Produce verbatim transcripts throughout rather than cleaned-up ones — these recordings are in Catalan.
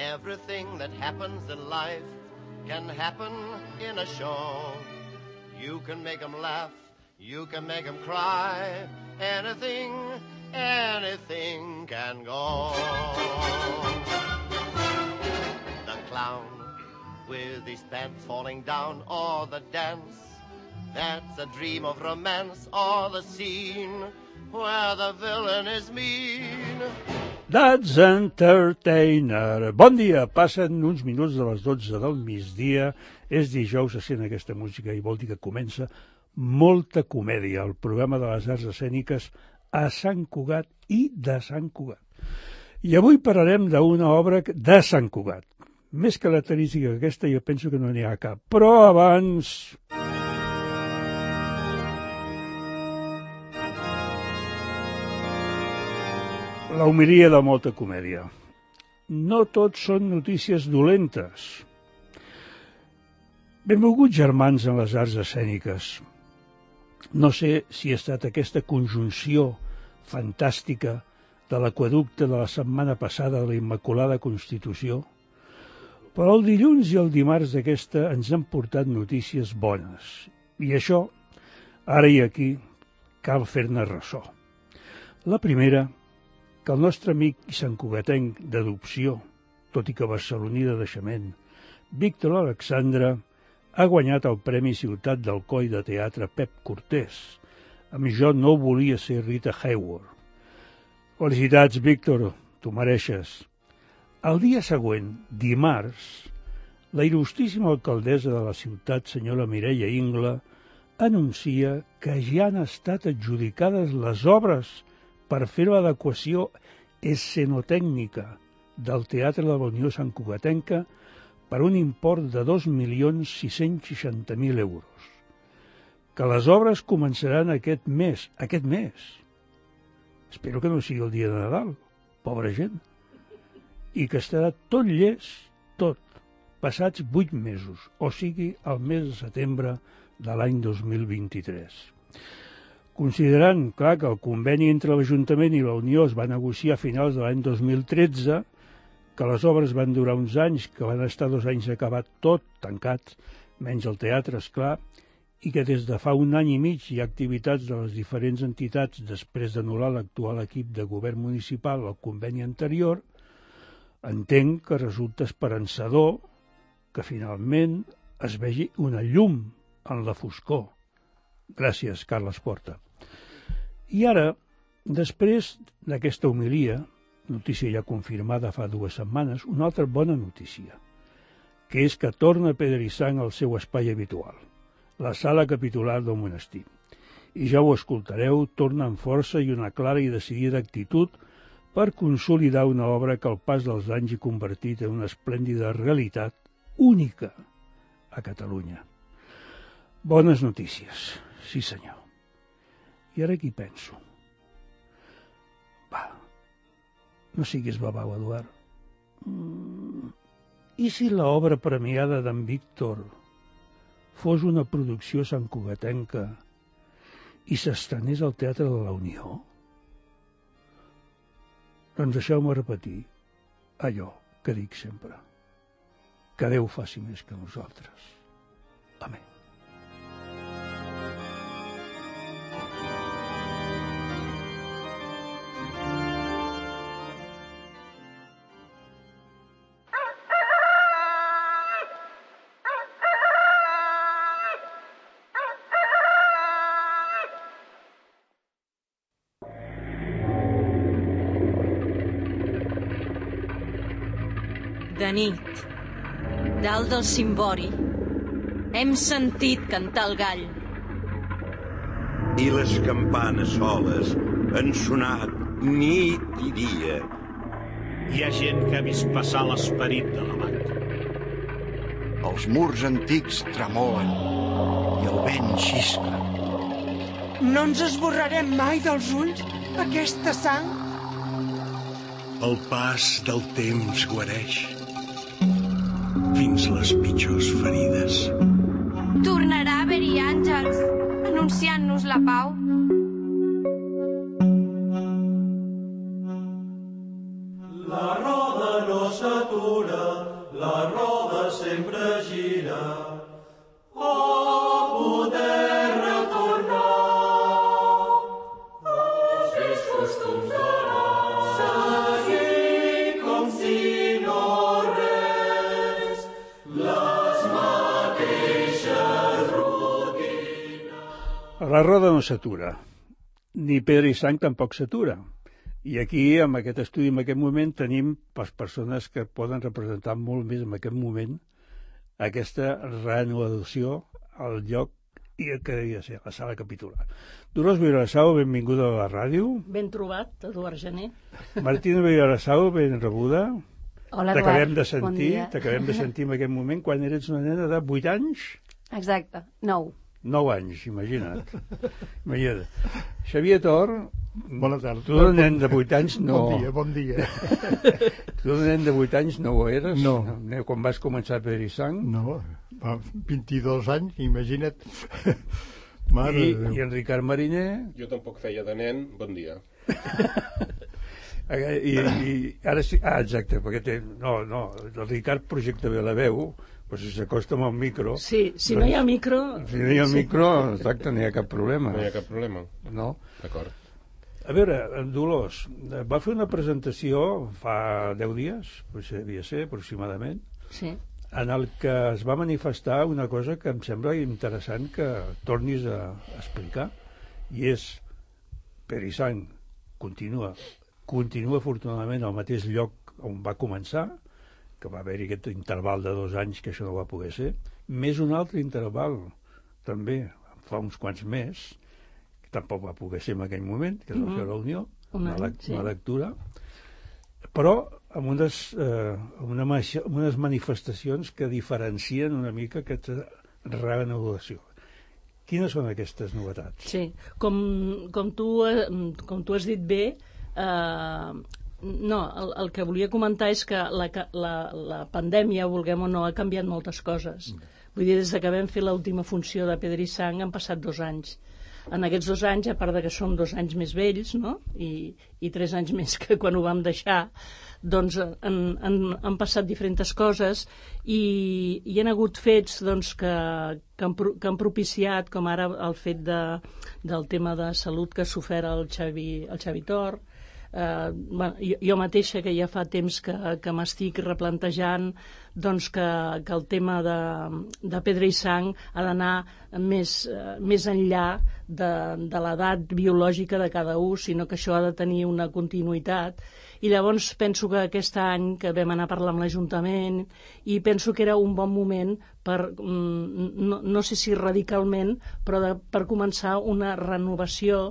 Everything that happens in life can happen in a show. You can make them laugh, you can make them cry. Anything, anything can go. The clown with his pants falling down, or the dance that's a dream of romance, or the scene where the villain is mean. That's Entertainer. Bon dia, passen uns minuts de les dotze del migdia, és dijous, se sent aquesta música i vol dir que comença molta comèdia, el programa de les arts escèniques a Sant Cugat i de Sant Cugat. I avui parlarem d'una obra de Sant Cugat. Més característica que aquesta jo penso que no n'hi ha cap, però abans... La homilia de molta comèdia. No tot són notícies dolentes. Benvolguts germans en les arts escèniques. No sé si ha estat aquesta conjunció fantàstica de l'aqüeducte de la setmana passada de la Immaculada Constitució, però el dilluns i el dimarts d'aquesta ens han portat notícies bones. I això, ara i aquí, cal fer-ne ressò. La primera, que el nostre amic i santcugatenc d'adopció, tot i que barceloní de naixement, Víctor Alexandre, ha guanyat el Premi Ciutat d'Alcoi de Teatre Pep Cortés, amb Jo no volia ser Rita Hayworth. Felicitats, Víctor, t'ho mereixes. El dia següent, dimarts, la il·lustríssima alcaldessa de la ciutat, senyora Mireia Ingla, anuncia que ja han estat adjudicades les obres per fer l'adequació escenotècnica del Teatre de la Unió Santcugatenca per un import de dos milions sis-cents seixanta mil euros. Que les obres començaran aquest mes, aquest mes. Espero que no sigui el dia de Nadal, pobra gent. I que estarà tot llest, tot, passats vuit mesos, o sigui, el mes de setembre de l'any dos mil vint-i-tres. Considerant, clar, que el conveni entre l'Ajuntament i la Unió es va negociar a finals de l'any dos mil tretze, que les obres van durar uns anys, que van estar dos anys acabat tot, tancat, menys el teatre, esclar, i que des de fa un any i mig hi ha activitats de les diferents entitats després d'anul·lar l'actual equip de govern municipal al conveni anterior, entenc que resulta esperançador que finalment es vegi una llum en la foscor. Gràcies, Carles Porta. I ara, després d'aquesta homilia, notícia ja confirmada fa dues setmanes, una altra bona notícia, que és que torna Pedro Sang al seu espai habitual, la sala capitular del monestir. I ja ho escoltareu, torna amb força i una clara i decidida actitud per consolidar una obra que al pas dels anys ha convertit en una esplèndida realitat única a Catalunya. Bones notícies, sí senyor. I ara aquí penso. Va, no siguis babau, Eduard. Mm, I si l'obra premiada d'en Víctor fos una producció santcugatenca i s'estrenés al Teatre de la Unió? Doncs deixeu-me repetir allò que dic sempre. Que Déu faci més que nosaltres. Amén. De nit, dalt del cimbori, hem sentit cantar el gall. I les campanes soles han sonat nit i dia. Hi ha gent que ha vist passar l'esperit de l'abat. Els murs antics tremolen i el vent xiscla. No ens esborrarem mai dels ulls aquesta sang? El pas del temps guareix fins les pitjors ferides. Tornarà a haver-hi àngels anunciant-nos la pau. La roda no s'atura La roda no s'atura, ni Pedra i Sang tampoc s'atura. I aquí, amb aquest estudi, en aquest moment, tenim les persones que poden representar molt més en aquest moment aquesta reanudació al lloc i el que devia ser, la sala capitular. Dolors Vilarasau, benvinguda a la ràdio. Ben trobat, Eduard Gené. Martina Vilarasau, ben rebuda. Hola, Eduard. T'acabem de sentir, bon dia. T'acabem de sentir en aquest moment quan eres una nena de vuit anys. Exacte, nou. Nou anys, imagina't. Imagina't. Xavier Tor, bona tarda. Tu de nen de vuit anys no... Bon dia, bon dia. Tu de nen de vuit anys no ho eres? No. no. Quan vas començar a Pedra i Sang? No, fa vint-i-dos anys, imagina't. Mare I, de Déu. I en Ricard Mariner? Jo tampoc feia de nen, bon dia. I, i ara sí, ah, exacte, perquè té, no, no, el Ricard projecta bé la veu, però si s'acosta amb el micro... Sí, si doncs, no hi ha micro... Si no hi ha micro, exacte, no hi ha cap problema. No hi ha cap problema. No? D'acord. A veure, en Dolors, va fer una presentació fa deu dies, potser devia ser, aproximadament, sí. En el que es va manifestar una cosa que em sembla interessant que tornis a explicar, i és Pedra i Sang continua, continua afortunadament al mateix lloc on va començar, que va haver-hi aquest interval de dos anys que això no va poder ser, més un altre interval, també, fa uns quants més, que tampoc va poder ser en aquell moment, que es va fer la Unió, una, any, sí. una lectura, però amb unes, eh, una, amb unes manifestacions que diferencien una mica aquesta reanudació. Quines són aquestes novetats? Sí, com, com, tu, com tu has dit bé, eh, no, el, el que volia comentar és que la, la, la pandèmia, vulguem o no, ha canviat moltes coses. Vull dir, des que vam fer l'última funció de Pedra i Sang han passat dos anys. En aquests dos anys, a part de que som dos anys més vells, no? I, i tres anys més que quan ho vam deixar, doncs han, han, han passat diferents coses i hi ha hagut fets doncs, que, que, han, que han propiciat, com ara el fet de, del tema de salut que ha sofert el Xavi, el Xavi Tor. Uh, bueno, jo, jo mateixa, que ja fa temps que, que m'estic replantejant doncs que, que el tema de, de Pedra i Sang ha d'anar més, uh, més enllà de, de l'edat biològica de cada un, sinó que això ha de tenir una continuïtat. I llavors penso que aquest any que vam anar a parlar amb l'Ajuntament i penso que era un bon moment per, no, no sé si radicalment, però de, per començar una renovació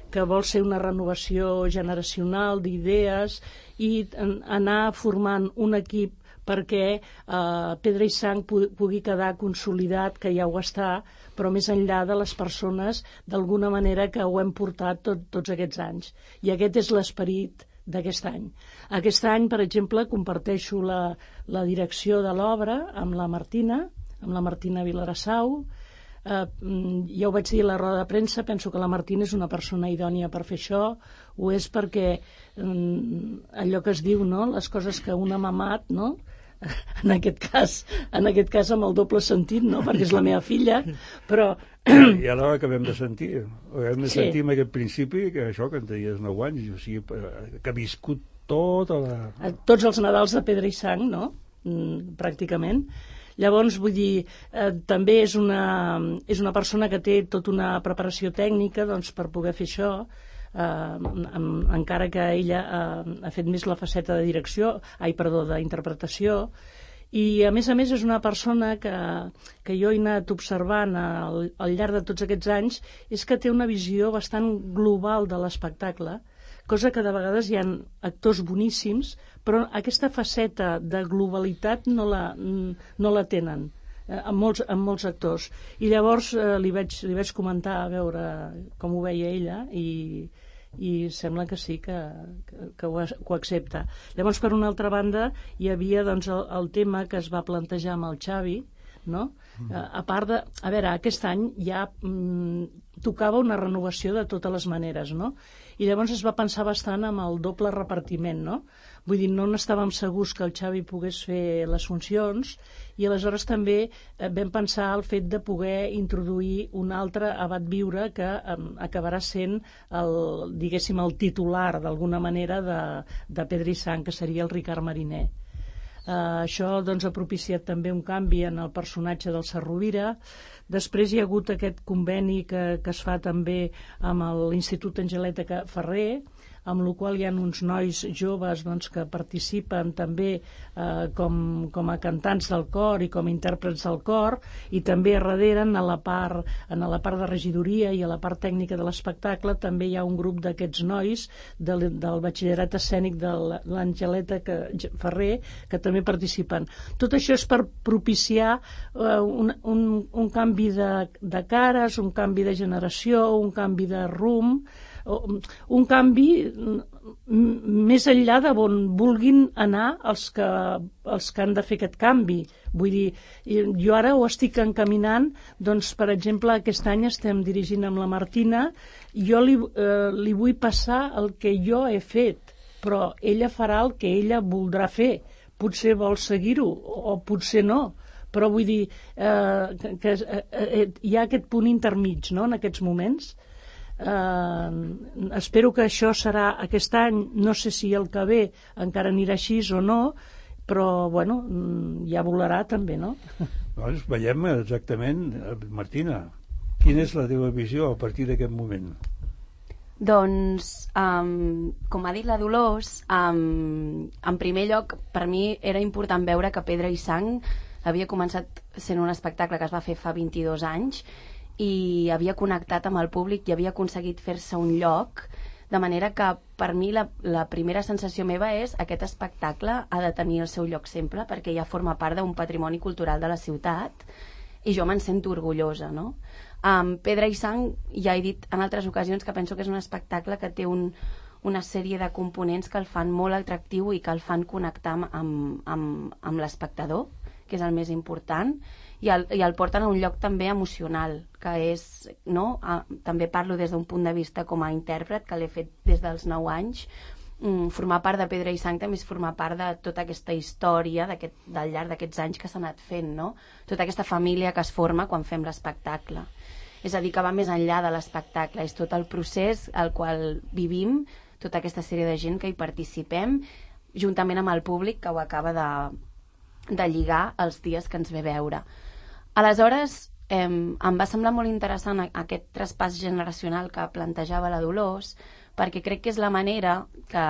que vol ser una renovació generacional d'idees i anar formant un equip perquè eh, Pedra i Sang pugui quedar consolidat, que ja ho està, però més enllà de les persones d'alguna manera que ho hem portat tot, tots aquests anys. I aquest és l'esperit d'aquest any. Aquest any, per exemple, comparteixo la, la direcció de l'obra amb la Martina, amb la Martina Vilarasau. Uh, ja ho vaig dir a la roda de premsa, penso que la Martina és una persona idònia per fer això, ho és perquè um, allò que es diu, no? Les coses que un ha mamat, no? En aquest cas, en aquest cas amb el doble sentit, no? Perquè és la meva filla, però... I ara acabem de sentir, acabem de sí. sentir en aquest principi que això que en tenies nou anys, o sigui, que ha viscut tota la... Tots els Nadals de Pedra i Sang, no? Mm, pràcticament. Llavors, vull dir, eh, també és una, és una persona que té tota una preparació tècnica doncs, per poder fer això, eh, amb, encara que ella eh, ha fet més la faceta de direcció, ai, perdó, d'interpretació, i a més a més és una persona que, que jo he anat observant al, al llarg de tots aquests anys, és que té una visió bastant global de l'espectacle, cosa que de vegades hi ha actors boníssims, però aquesta faceta de globalitat no la, no la tenen eh, amb, molts, amb molts actors. I llavors eh, li, vaig, li vaig comentar a veure com ho veia ella i, i sembla que sí, que, que, que, ho, que ho accepta. Llavors, per una altra banda, hi havia doncs, el, el tema que es va plantejar amb el Xavi, no? Mm. A part de... A veure, aquest any ja mm, tocava una renovació de totes les maneres, no? I llavors es va pensar bastant amb el doble repartiment, no? Vull dir, no n'estàvem segurs que el Xavi pogués fer les funcions i aleshores també eh, vam pensar el fet de poder introduir un altre abat viure que eh, acabarà sent el, diguéssim, el titular d'alguna manera de, de Pedra i Sang, que seria el Ricard Mariner. Uh, això doncs, ha propiciat també un canvi en el personatge del Sarrovira. Després hi ha hagut aquest conveni que, que es fa també amb l'Institut Angeleta Ferrer, amb el qual hi ha uns nois joves doncs, que participen també eh, com, com a cantants del cor i com a intèrprets del cor, i també a darrere, en la part, en la part de regidoria i a la part tècnica de l'espectacle, també hi ha un grup d'aquests nois del, del batxillerat escènic de l'Angeleta Ferrer que també participen. Tot això és per propiciar eh, un, un, un canvi de, de cares, un canvi de generació, un canvi de rumb, un canvi més enllà de on vulguin anar els que, els que han de fer aquest canvi. Vull dir, jo ara ho estic encaminant, doncs, per exemple, aquest any estem dirigint amb la Martina, jo li, eh, li vull passar el que jo he fet, però ella farà el que ella voldrà fer. Potser vol seguir-ho, o potser no, però vull dir eh, que, que eh, hi ha aquest punt intermig, no?, en aquests moments. Uh, espero que això serà aquest any, no sé si el que ve encara anirà així o no, però bueno, ja volarà també, no? Doncs veiem exactament, Martina, quina és la teva visió a partir d'aquest moment? Doncs, um, com ha dit la Dolors, um, en primer lloc, per mi era important veure que Pedra i Sang havia començat sent un espectacle que es va fer fa vint-i-dos anys i havia connectat amb el públic i havia aconseguit fer-se un lloc, de manera que per mi la, la primera sensació meva és aquest espectacle ha de tenir el seu lloc sempre perquè ja forma part d'un patrimoni cultural de la ciutat i jo me'n sento orgullosa, no? Um, Pedra i Sang, ja he dit en altres ocasions que penso que és un espectacle que té un, una sèrie de components que el fan molt atractiu i que el fan connectar amb, amb, amb l'espectador, que és el més important, i el, i el porten a un lloc també emocional, que és, no? A, també parlo des d'un punt de vista com a intèrpret, que l'he fet des dels nou anys. Mm, formar part de Pedra i Sang també és formar part de tota aquesta història d'aquest, del llarg d'aquests anys que s'ha anat fent, no? Tota aquesta família que es forma quan fem l'espectacle. És a dir, que va més enllà de l'espectacle, és tot el procés al qual vivim, tota aquesta sèrie de gent que hi participem, juntament amb el públic que ho acaba de, de lligar els dies que ens ve veure. Aleshores, eh, em va semblar molt interessant aquest traspàs generacional que plantejava la Dolors, perquè crec que és la manera que,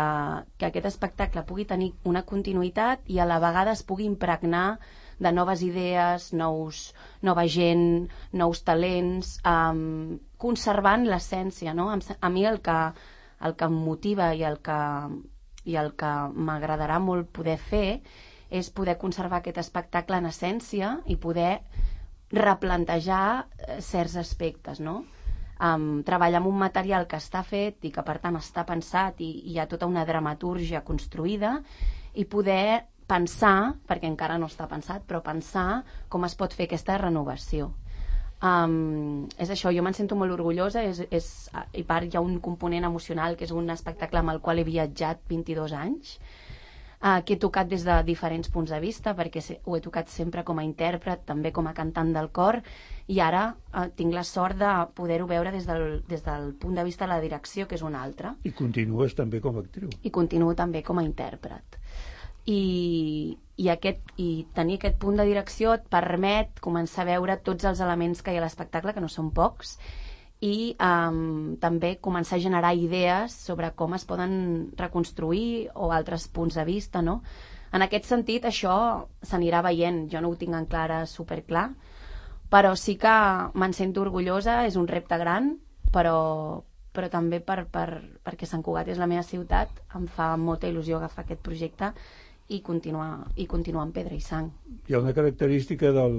que aquest espectacle pugui tenir una continuïtat i a la vegada es pugui impregnar de noves idees, nous, nova gent, nous talents, eh, conservant l'essència, no? A mi el que, el que em motiva i el que, i el que m'agradarà molt poder fer és poder conservar aquest espectacle en essència i poder replantejar certs aspectes, no? Um, treballar amb un material que està fet i que per tant està pensat i, i hi ha tota una dramatúrgia construïda i poder pensar, perquè encara no està pensat, però pensar com es pot fer aquesta renovació. Um, és això, jo me'n sento molt orgullosa, és, és, i part hi ha un component emocional que és un espectacle amb el qual he viatjat vint-i-dos anys, Uh, que he tocat des de diferents punts de vista, perquè ho he tocat sempre com a intèrpret, també com a cantant del cor, i ara uh, tinc la sort de poder-ho veure des del, des del punt de vista de la direcció, que és un altre. I continues també com a actriu. I continuo també com a intèrpret. I, i, aquest, i tenir aquest punt de direcció et permet començar a veure tots els elements que hi ha a l'espectacle, que no són pocs, i um, també començar a generar idees sobre com es poden reconstruir o altres punts de vista, no? En aquest sentit, això s'anirà veient. Jo no ho tinc en clara superclar, però sí que me'n sento orgullosa, és un repte gran, però, però també per, per, perquè Sant Cugat és la meva ciutat, em fa molta il·lusió agafar aquest projecte i continuar, i continuar amb Pedra i Sang. Hi ha una característica del,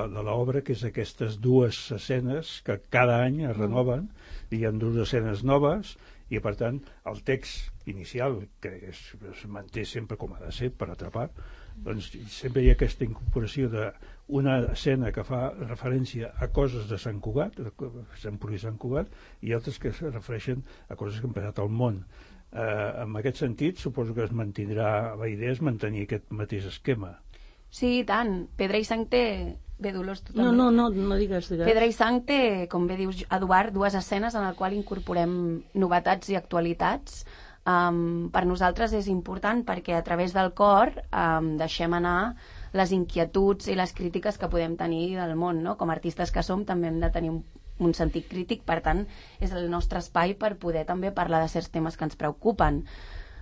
de l'obra que és aquestes dues escenes que cada any es renoven, mm. hi ha dues escenes noves i per tant el text inicial, que es, es manté sempre com ha de ser per atrapar, doncs sempre hi ha aquesta incorporació d'una escena que fa referència a coses de Sant Cugat, de Sant Puri i Sant Cugat, i altres que es refereixen a coses que han passat al món. Eh, en aquest sentit, suposo que es mantindrà, la idea és mantenir aquest mateix esquema. Sí, i tant. Pedra i Sang té... Bé, Dolors, tu també. No, no, no, no digues, digues. Pedra i Sang té, com bé dius, Eduard, dues escenes en el qual incorporem novetats i actualitats. Um, per nosaltres és important perquè a través del cor um, deixem anar les inquietuds i les crítiques que podem tenir del món, no? Com a artistes que som també hem de tenir un, un sentit crític, per tant és el nostre espai per poder també parlar de certs temes que ens preocupen.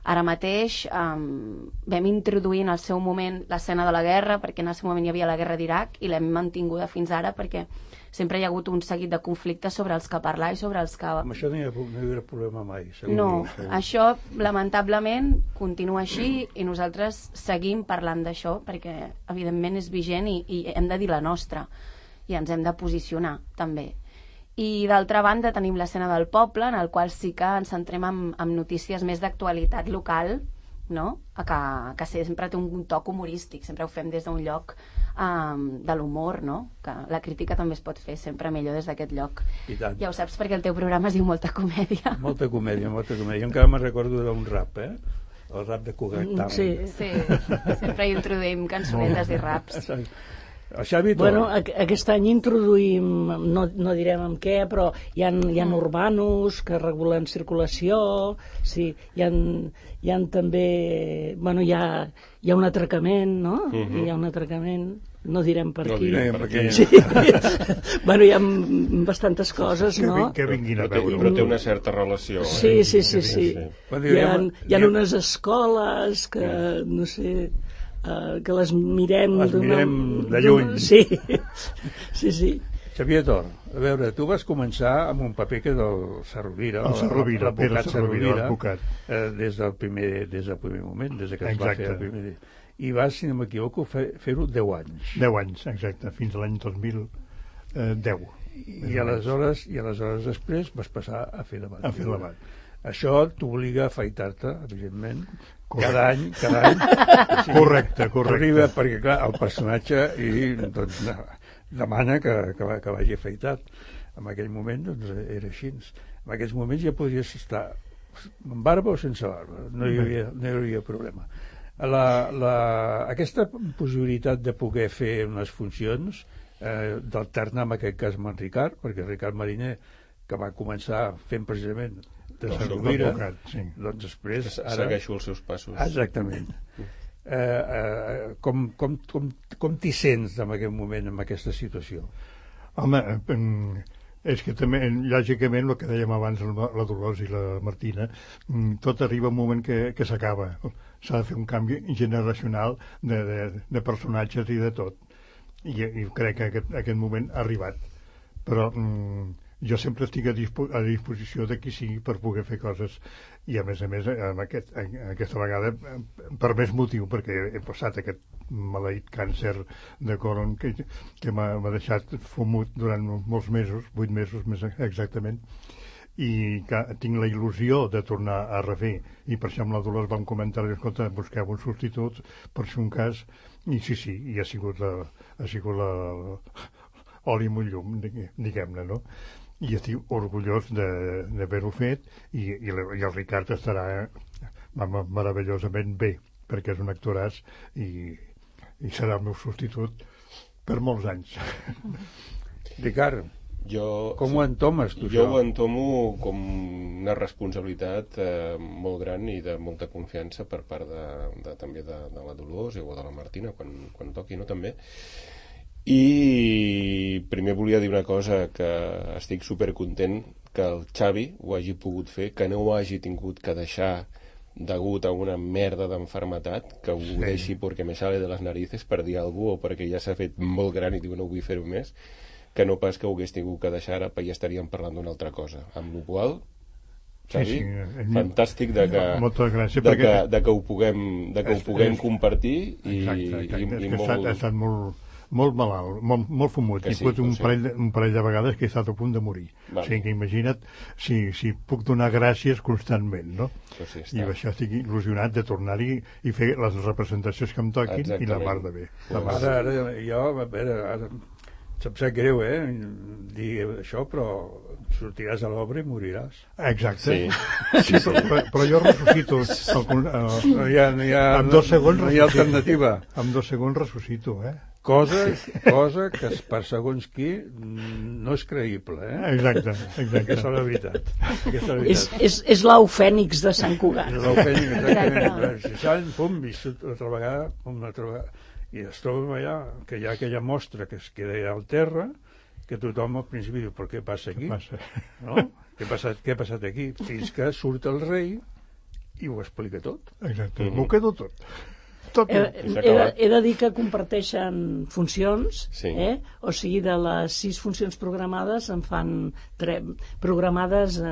Ara mateix um, vam introduir en el seu moment l'escena de la guerra, perquè en el seu moment hi havia la guerra d'Iraq, i l'hem mantinguda fins ara perquè sempre hi ha hagut un seguit de conflictes sobre els que parlar i sobre els que... Amb això no hi ha, no hi ha problema mai, segur. No, segur. Això lamentablement continua així i nosaltres seguim parlant d'això perquè evidentment és vigent i, i hem de dir la nostra i ens hem de posicionar també. I d'altra banda tenim l'escena del poble, en el qual sí que ens centrem en, en notícies més d'actualitat local, no? que, que sempre té un toc humorístic, sempre ho fem des d'un lloc um, de l'humor, no? Que la crítica també es pot fer sempre millor des d'aquest lloc. Ja ho saps perquè el teu programa es diu Molta Comèdia. Molta comèdia, molta comèdia. Jo encara me'n recordo d'un rap, eh? El rap de Cugat Talent. Sí, sí. Sempre hi introduïm cançonetes i raps. Xavi, bueno, aquest any introduïm, no, no direm amb què, però hi ha, hi ha urbanos que regulen circulació, sí, hi ha, hi ha també, bueno, hi ha, hi ha un atracament, no? Uh-huh. Hi ha un atracament, no direm per no qui. Direm per qui. Sí. Bueno, hi ha bastantes coses, no? Que, que vinguin a veure. Però té una certa relació. Sí, eh? sí, sí, sí. sí. Hi ha, hi ha unes escoles que, no sé... Uh, que les mirem... Les mirem de lluny. Sí, sí, sí. Xavier Tor, a veure, tu vas començar amb un paper que del Sarrovira, el Sarrovira, Pere Sarrovira, l'advocat, eh, des del primer des del primer moment, des que es va fer el primer... I vas, si no m'equivoco, fer, fer-ho deu anys. Deu anys, exacte, fins a l'any dos mil deu. I aleshores, i aleshores després vas passar a fer debat. A fer debat. Això t'obliga a afaitar-te, evidentment, correcte. cada any, cada any. O sigui, correcte, correcte. Arriba, perquè, clar, el personatge i, doncs, demana que, que, que vagi afaitat. En aquell moment, doncs, era així. En aquells moments ja podries estar amb barba o sense barba. No hi havia, no hi havia problema. La, la, aquesta possibilitat de poder fer unes funcions, eh, d'alternar en aquest cas amb en Ricard, perquè Ricard Mariner, que va començar fent precisament de Sarrovira, sí. Doncs després... Ara... Segueixo els seus passos. Exactament. eh, eh, com com, com, com t'hi sents en aquest moment, en aquesta situació? Home, és que també, lògicament, el que dèiem abans la Dolors i la Martina, tot arriba un moment que, que s'acaba. S'ha de fer un canvi generacional de, de, de personatges i de tot. I, i crec que aquest, aquest moment ha arribat. Però... Mm, jo sempre estic a, dispo a disposició de qui sigui per poder fer coses i a més a més en aquest, en aquesta vegada per més motiu, perquè he passat aquest maleït càncer de colon que, que m'ha deixat fumut durant molts mesos, vuit mesos més exactament, i que tinc la il·lusió de tornar a refer, i per això amb la Dolors vam comentar, escolta, busqueu un substitut per si un cas, i sí, sí, i ha sigut la, ha sigut la, oli amb un llum, diguem-ne, no? I estic orgullós d'haver-ho fet i, i, i el Ricard estarà meravellosament bé perquè és un actoràs i, i serà el meu substitut per molts anys. Ricard, jo, com ho entomes tu? Jo això? Ho entomo com una responsabilitat eh, molt gran i de molta confiança per part de, de, també de, de la Dolors o de la Martina quan, quan toqui, no? També. I primer volia dir una cosa, que estic supercontent que el Xavi ho hagi pogut fer, que no ho hagi tingut que deixar degut a una merda d'enfermetat, que ho sí. deixi perquè me sale de les narices per dir alguna cosa o perquè ja s'ha fet molt gran i diu no vull fer-ho més, que no pas que ho hagués tingut que deixar ara perquè ja estaríem parlant d'una altra cosa. Amb la qual Xavi, sí, sí. fantàstic de que, gràcies, de, que, de que ho puguem, de que ho puguem compartir i, exacte, exacte. i, és i que molt... ha estat molt molt malalt, molt, molt fumut, Que i sí, pot un, ho sé. parell, de- un parell de vegades que he estat a punt de morir. Val. O sigui que imagina't si, si puc donar gràcies constantment, no? Pues sí, I amb això estic il·lusionat de tornar-hi i fer les representacions que em toquin i la Exactament. mar de bé. La mar Ara, de bé. ara, jo, a veure, ara, se'm sap greu, eh, dir això, però sortiràs a l'obra i moriràs. Exacte. Sí. Sí, però, però, però jo ressuscito. El, el, No hi ha, no hi ha, amb dos segons no hi ha ressuscito. alternativa. Amb dos segons ressuscito, eh? Cosa, cosa que per segons qui no és creïble, eh? Exacte, exacte. Aquesta és la veritat. Aquesta és la És, veritat. és, és l'au fènix de Sant Cugat. És l'ofènic, exactament. Si salen, pum, i surt altra vegada, pum, una altra vegada. I es troba allà, que hi ha aquella mostra que es queda allà al terra, que tothom al principi diu, però què passa aquí? Què passa? No? Què ha passat, què ha passat aquí? Fins que surt el rei i ho explica tot. Exacte, m'ho quedo tot. Tot. He, he, de, he de dir que comparteixen funcions, Sí. eh? O sigui, de les sis funcions programades en fan tre... programades eh,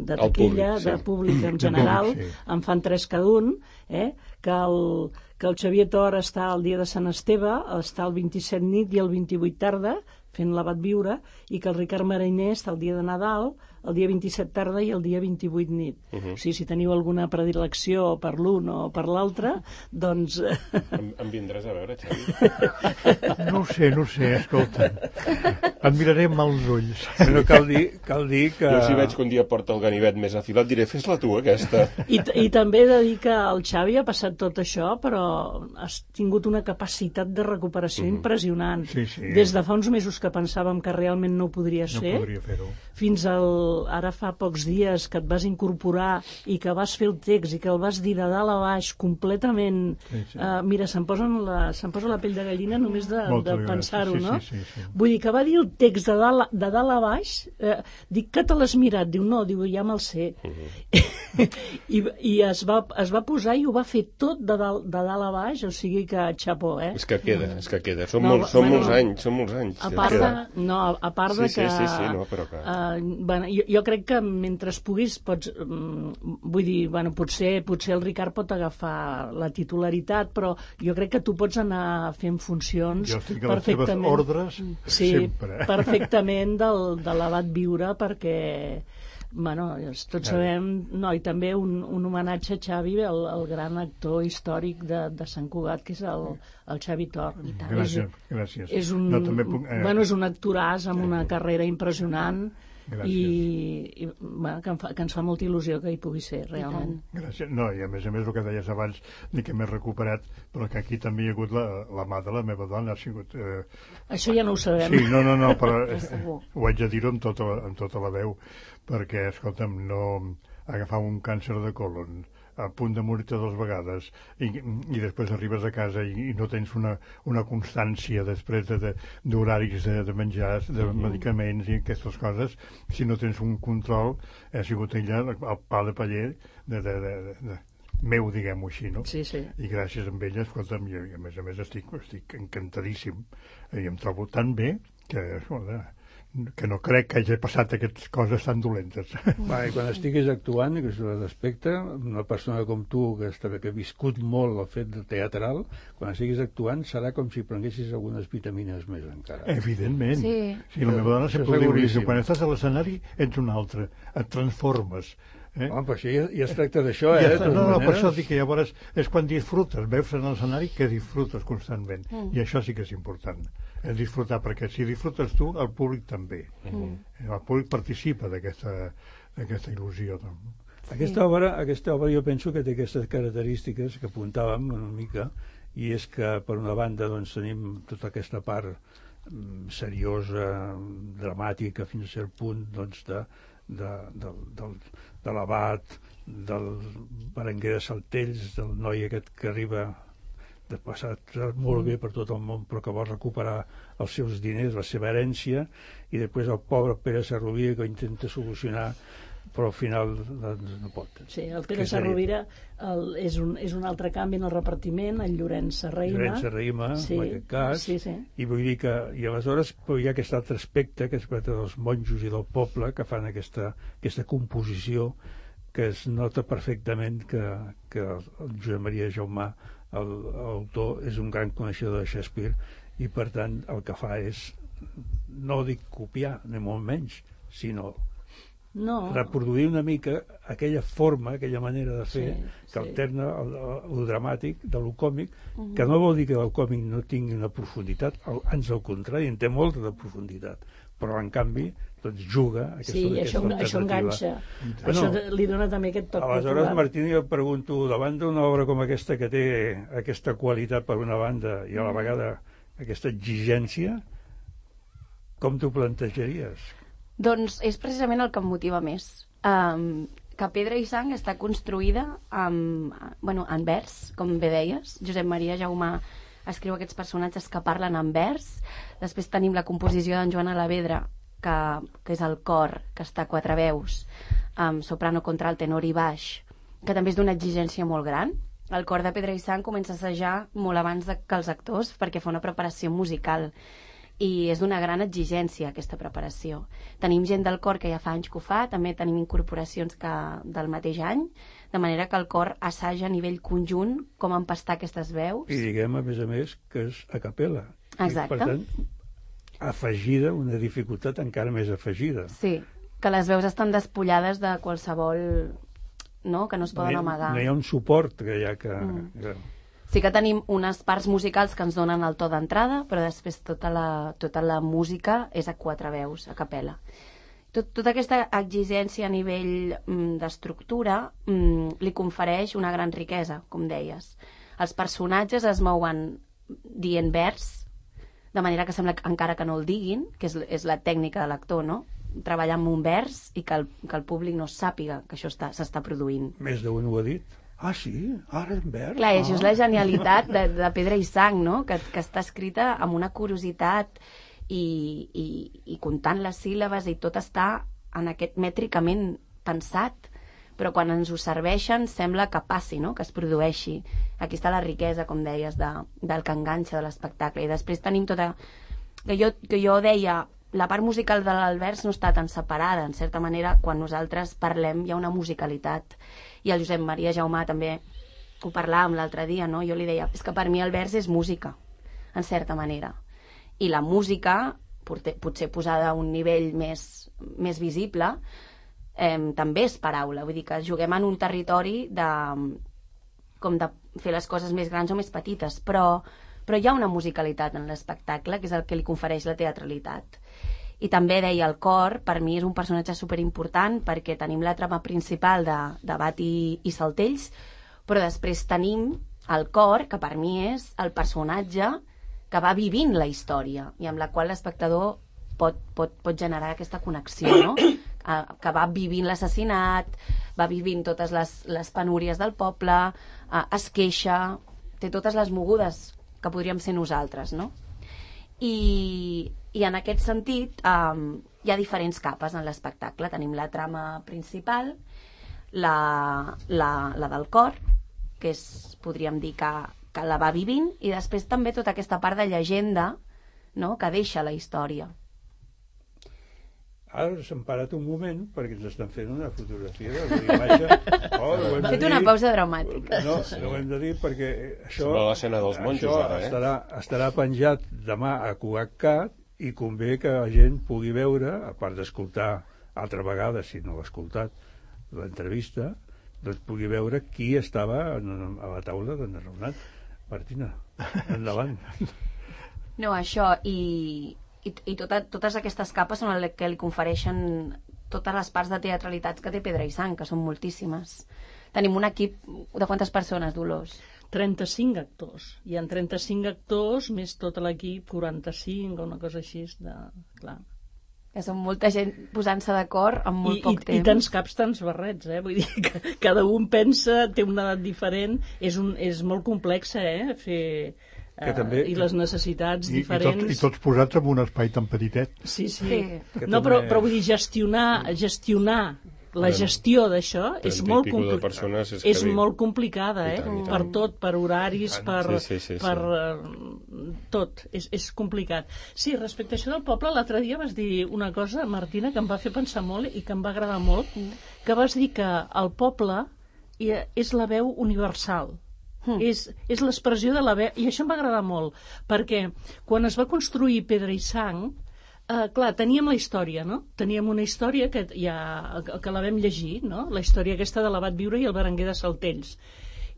de Al taquilla, públic, sí. de públic en De general, públic, sí. en fan tres cada un, eh? que, el, que el Xavier Tor està el dia de Sant Esteve, està el vint-i-set nit i el vint-i-vuit tarda, fent l'abat viure, i que el Ricard Mariner està el dia de Nadal, el dia vint-i-set tarda i el dia vint-i-vuit nit. Uh -huh. O sigui, si teniu alguna predilecció per l'un o per l'altre, doncs... Em, em vindràs a veure, Xavi? No ho sé, no ho sé, escolta. Et miraré amb els ulls. Però cal dir, cal dir que... Jo si veig que un dia porta el ganivet més afilat diré, fes-la tu, aquesta. I, I també he de dir que el Xavi ha passat tot això, però has tingut una capacitat de recuperació Mhm. impressionant. Sí, sí. Des de fa uns mesos que pensàvem que realment no ho podries No fer, podria fer-ho. fins al, ara fa pocs dies que et vas incorporar i que vas fer el text i que el vas dir de dalt a baix completament... Sí, sí. Uh, mira, se'm posa, la, se'm posa la pell de gallina només de, Moltes de gràcies. pensar-ho, Sí, no? sí, sí, sí. Vull dir que va dir el text de dalt, a- de dalt a baix, eh, dic que te l'has mirat, diu no, diu ja me'l sé. I, i es, va, es va posar i ho va fer tot de dalt, de dalt a baix, o sigui que xapó, eh? És que queda, és que queda. Són, No, molts, són bueno, molts anys, són molts anys. A part de, no, a, a part de Sí, sí, que... sí, sí, no, però que- Uh, bueno, jo, jo crec que mentre puguis pots... Um, vull dir, bueno, potser, potser el Ricard pot agafar la titularitat, però jo crec que tu pots anar fent funcions Jo estic a les teves perfectament... ordres sí, sempre. perfectament del, de l'abat viure, perquè bueno, tots sabem, no, i també un, un homenatge a Xavi, el, el gran actor històric de, de Sant Cugat, que és el, el Xavi Tor. Gràcies, gràcies. És un, No, també puc, eh, bueno, és un actoràs amb una carrera impressionant Gràcies. i, i bueno, que, em fa, que ens fa molta il·lusió que hi pugui ser, realment. Gràcies. No, i a més a més el que deies abans de que m'he recuperat, però que aquí també hi ha hagut la, la mà de la meva dona, ha sigut... Eh... Això ja no ho sabem. Sí, no, no, no, però eh, Segur. ho haig de dir-ho amb, tota, la- amb tota la veu, perquè, escolta'm, no agafar un càncer de colon a punt de morir-te dues vegades i, i després arribes a casa i, i no tens una, una constància després de- de- d'horaris de, de menjars, de Mhm. medicaments i aquestes coses, si no tens un control, ha sigut ella el pa de paller de, de, de, de, de meu, diguem-ho així, no? Sí, sí. I gràcies a ella, escolta'm, i, i a més a més estic, estic encantadíssim i em trobo tan bé que, escolta, que no crec que hagi passat aquestes coses tan dolentes. Va, i quan estiguis actuant, que és l'aspecte, una persona com tu, que, està, que ha viscut molt el fet de teatral, quan estiguis actuant serà com si prenguessis algunes vitamines més encara. Evidentment. Sí. Sí, la meva dona Això sempre ho diu, seguríssim. diu, quan estàs a l'escenari ets un altre, et transformes. Eh? Home, però això ja, ja es tracta d'això, Ja eh? està, de totes no, no, per maneres. això dic que llavors és quan disfrutes, veus en l'escenari que disfrutes constantment, Mm. i això sí que és important, és disfrutar, perquè si disfrutes tu, el públic també. Mm. El públic participa d'aquesta d'aquesta il·lusió. Doncs. Aquesta obra, aquesta obra jo penso que té aquestes característiques que apuntàvem una mica, i és que per una banda doncs, tenim tota aquesta part mm, seriosa, dramàtica fins a cert punt doncs, de, de, de, del, de l'abat, del Berenguer de Saltells, del noi aquest que arriba de passat molt bé per tot el món però que vol recuperar els seus diners, la seva herència, i després el pobre Pere Sarrovira que ho intenta solucionar però al final doncs, no pot. Sí, el Pere Que seria- Sarrovira el, és, un, és un altre canvi en el repartiment, el Llorenç Serraima. Llorenç Serraima, sí, en aquest cas, sí, sí. i vull dir que i aleshores però hi ha aquest altre aspecte que és dels monjos i del poble que fan aquesta, aquesta composició que es nota perfectament que, que el Josep Maria Jaumà, el- l'autor, és un gran coneixedor de Shakespeare i per tant el que fa és, no dic copiar, ni molt menys, sinó no. reproduir una mica aquella forma, aquella manera de fer sí, que sí. alterna el, el dramàtic de lo còmic, Uh-huh. que no vol dir que el còmic no tingui una profunditat, el, ans al contrari, en té molta de profunditat, però en canvi doncs juga aquesta, sí, aquesta això, això enganxa. Bueno, això li dona també aquest toc aleshores, popular. Martí, jo et pregunto, davant d'una obra com aquesta que té aquesta qualitat per una banda i a la vegada aquesta exigència, com t'ho plantejaries? Doncs és precisament el que em motiva més. Um, que Pedra i Sang està construïda amb, bueno, en vers, com bé deies. Josep Maria Jaumà escriu aquests personatges que parlen en vers. Després tenim la composició d'en Joan Alavedra, que, que és el cor, que està a quatre veus, amb soprano, contralt, tenor i baix, que també és d'una exigència molt gran. El cor de Pedra i Sang comença a assajar molt abans de, que els actors, perquè fa una preparació musical, i és d'una gran exigència aquesta preparació. Tenim gent del cor que ja fa anys que ho fa, també tenim incorporacions que, del mateix any, de manera que el cor assaja a nivell conjunt com empastar aquestes veus. I diguem, a més a més, que és a capella. Exacte. I, per tant, afegida, una dificultat encara més afegida. Sí, que les veus estan despullades de qualsevol, no?, que no es poden no hi, amagar. No hi ha un suport que hi ha que... Mm. que... Sí que tenim unes parts musicals que ens donen el to d'entrada, però després tota la, tota la música és a quatre veus, a capella. Tot, tota aquesta exigència a nivell mm, d'estructura mm, li confereix una gran riquesa, com deies. Els personatges es mouen dient vers, de manera que sembla que, encara que no el diguin, que és, és la tècnica de l'actor, no?, treballar amb un vers i que el, que el públic no sàpiga que això està, s'està produint. Més d'un ho ha dit. Ah, sí? Ara en vers? Clar, ah. això és la genialitat de, de Pedra i Sang, no?, que, que està escrita amb una curiositat i, i, i comptant les síl·labes, i tot està en aquest mètricament pensat, però quan ens ho serveixen sembla que passi, no?, que es produeixi. Aquí està la riquesa, com deies, de, del que enganxa de l'espectacle. I després tenim tota... Que jo, que jo deia, la part musical del vers no està tan separada, en certa manera, quan nosaltres parlem hi ha una musicalitat. I el Josep Maria Jaumà també ho parlàvem l'altre dia, no? Jo li deia, és que per mi el vers és música, en certa manera. I la música, potser posada a un nivell més, més visible, eh, també és paraula. Vull dir que juguem en un territori de, com de fer les coses més grans o més petites, però, però hi ha una musicalitat en l'espectacle, que és el que li confereix la teatralitat. I també deia, el cor, per mi és un personatge superimportant, perquè tenim la trama principal de, de Bat i, i Saltells, però després tenim el cor, que per mi és el personatge que va vivint la història i amb la qual l'espectador pot, pot, pot generar aquesta connexió, no? Que va vivint l'assassinat, va vivint totes les, les penúries del poble, es queixa, té totes les mogudes que podríem ser nosaltres, no? I, i en aquest sentit um, hi ha diferents capes en l'espectacle. Tenim la trama principal, la, la, la del cor, que és, podríem dir que, que la va vivint, i després també tota aquesta part de llegenda, no?, que deixa la història. Ara s'han parat un moment perquè ens estan fent una fotografia de la imatge. Oh, hem fet una pausa dramàtica. No, no ho hem de dir perquè això, sembla l'escena dels monjos ara, eh? estarà, estarà penjat demà a Cugatcat, i convé que la gent pugui veure, a part d'escoltar altra vegada, si no l'ha escoltat, l'entrevista, doncs pugui veure qui estava a la taula d'en Renat. Martina, endavant. No, això, i... i, i tota, totes aquestes capes són el que li confereixen totes les parts de teatralitats que té Pedra i Sang, que són moltíssimes. Tenim un equip de quantes persones, Dolors? trenta-cinc actors. Hi ha trenta-cinc actors, més tot l'equip, quaranta-cinc o una cosa així. De... Clar. Que són molta gent posant-se d'acord en molt I, poc i, temps. I tants caps, tants barrets, eh? Vull dir que cada un pensa, té una edat diferent, és, un, és molt complex, eh? Fer... Que també, uh, i les necessitats i, diferents... I, tot, I tots posats en un espai tan petitet. Sí, sí. sí. No, també... però, però vull dir, gestionar, gestionar la gestió d'això és molt complicada. És, és molt complicada, eh? Tant, per tot, per horaris, per, sí, sí, sí, per sí. Uh, tot. És, és complicat. Sí, respecte a això del poble, l'altre dia vas dir una cosa, Martina, que em va fer pensar molt i que em va agradar molt, que vas dir que el poble és la veu universal. Mm. És, és l'expressió de la veu, i això em va agradar molt, perquè quan es va construir Pedra i Sang, eh, clar, teníem la història, no? Teníem una història que, ja, que la vam llegir, no? La història aquesta de l'Abat Viure i el Berenguer de Saltells.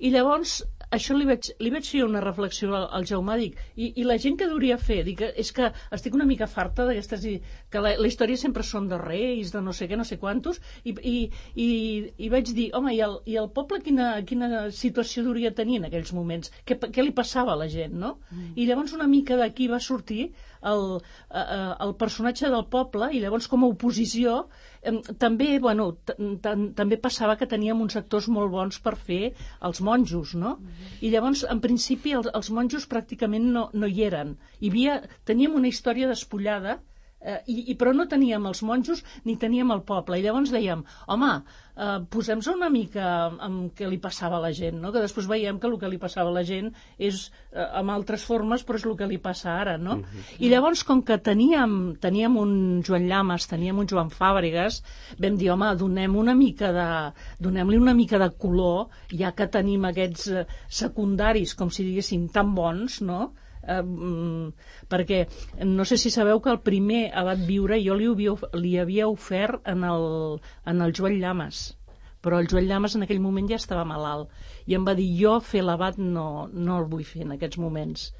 I llavors, això li vaig, li vaig fer una reflexió al, al Jaume, dic, i, i la gent que hauria fer, dic, és que estic una mica farta d'aquestes, que la, la història sempre són de reis, de no sé què, no sé quantos, i, i, i, i vaig dir, home, i el, i el poble quina, quina situació hauria tenir en aquells moments? Què, què li passava a la gent, no? Mm. I llavors una mica d'aquí va sortir el, el personatge del poble, i llavors com a oposició també, bueno, també passava que teníem uns actors molt bons per fer els monjos, no? Mm-hmm. I llavors, en principi, els, els monjos pràcticament no, no hi eren. Hi havia, teníem una història despullada, eh, i, i, però no teníem els monjos ni teníem el poble. I llavors dèiem, home, eh, posem-nos una mica amb què li passava a la gent, no? Que després veiem que el que li passava a la gent és eh, amb altres formes, però és el que li passa ara, no? Mm-hmm. I llavors, com que teníem, teníem un Joan Llamas, teníem un Joan Fàbregas, vam dir, home, donem una mica de, donem-li una mica de color, ja que tenim aquests eh, secundaris, com si diguéssim, tan bons, no? Eh, perquè no sé si sabeu que el primer Abat Viure jo li havia, li havia ofert en el, en el Joan Llamas, però el Joan Llamas en aquell moment ja estava malalt i em va dir, jo fer l'abat no, no el vull fer en aquests moments.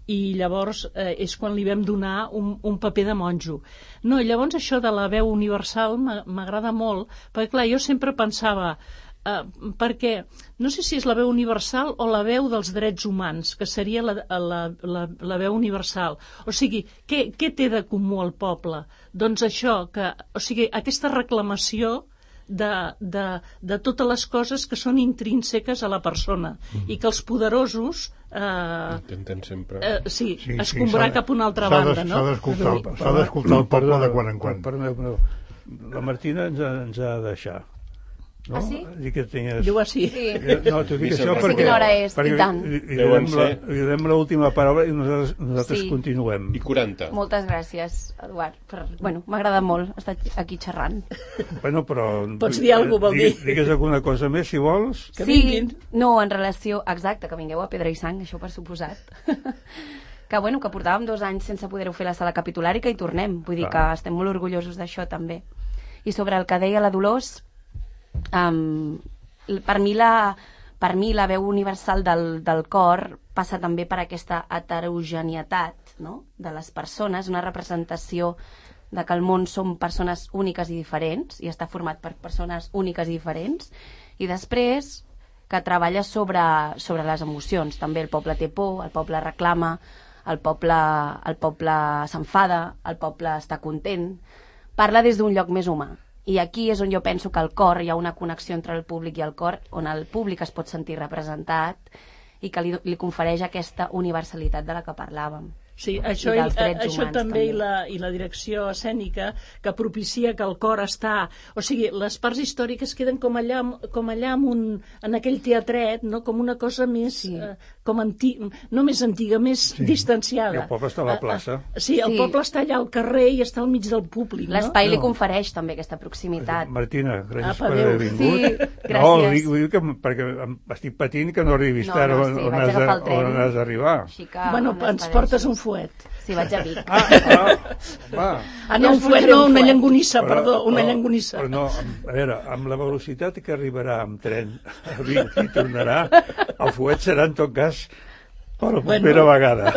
I llavors eh, és quan li vam donar un, un paper de monjo. No, llavors això de la veu universal m'agrada molt, perquè clar, jo sempre pensava Uh, perquè no sé si és la veu universal o la veu dels drets humans, que seria la, la, la, la veu universal. O sigui, què, què té de comú el poble? Doncs això, que, o sigui, aquesta reclamació de, de, de totes les coses que són intrínseques a la persona, mm. i que els poderosos eh, intenten sempre eh, sí, sí, escombrar sí, cap a una altra banda, no? S'ha d'escoltar el poble de quan en quan. Perdó, la Martina ens ha, ens ha de deixar. No? Ah, sí? Dic que tenies... Diu així. Sí. No, t'ho dic això que perquè... sí, quina hora és, perquè i tant. Li, li, donem la, li donem l'última paraula i nosaltres, nosaltres sí. continuem. I quaranta. Moltes gràcies, Eduard. Per... Bueno, m'ha agradat molt estar aquí xerrant. Bueno, però... Pots dir alguna cosa, vol dir. Digues alguna cosa més, si vols. Que sí, vinguin. No, en relació... Exacte, que vingueu a Pedra i Sang, això per suposat. Que, bueno, que portàvem dos anys sense poder-ho fer a la sala capitular i que hi tornem. Vull dir que estem molt orgullosos d'això, també. I sobre el que deia la Dolors... Um, per mi la per mi la veu universal del, del cor passa també per aquesta heterogeneïtat, no? De les persones, una representació de que el món són persones úniques i diferents i està format per persones úniques i diferents, i després que treballa sobre, sobre les emocions. També el poble té por, el poble reclama, el poble, el poble s'enfada, el poble està content, parla des d'un lloc més humà. I aquí és on jo penso que el cor, hi ha una connexió entre el públic i el cor, on el públic es pot sentir representat i que li, li confereix aquesta universalitat de la que parlàvem. Sí, això, i, això humans, també, també. I, la, i la direcció escènica que propicia que el cor està... O sigui, les parts històriques queden com allà, com allà en, un, en aquell teatret, no? Com una cosa més... Sí. Eh, com anti, no més antiga, més sí. distanciada. I el poble està a la plaça. Uh, uh, sí, el sí. poble està allà al carrer i està al mig del públic. L'espai no? li confereix també aquesta proximitat. Martina, gràcies Apa, per haver vingut. Sí, gràcies. No, dic, dic que, perquè estic patint que no arribis no, tard no, on, sí, on, has de, on has d'arribar. Bueno, ens portes un fuet. Sí, vaig a Vic. Ah, ah, va. Ah, no, un fuet, no, una llengonissa, perdó, una però, llengonissa. Però no, a veure, amb la velocitat que arribarà amb tren a Vic i tornarà, el fuet serà en tot cas per la propera bueno. vegada.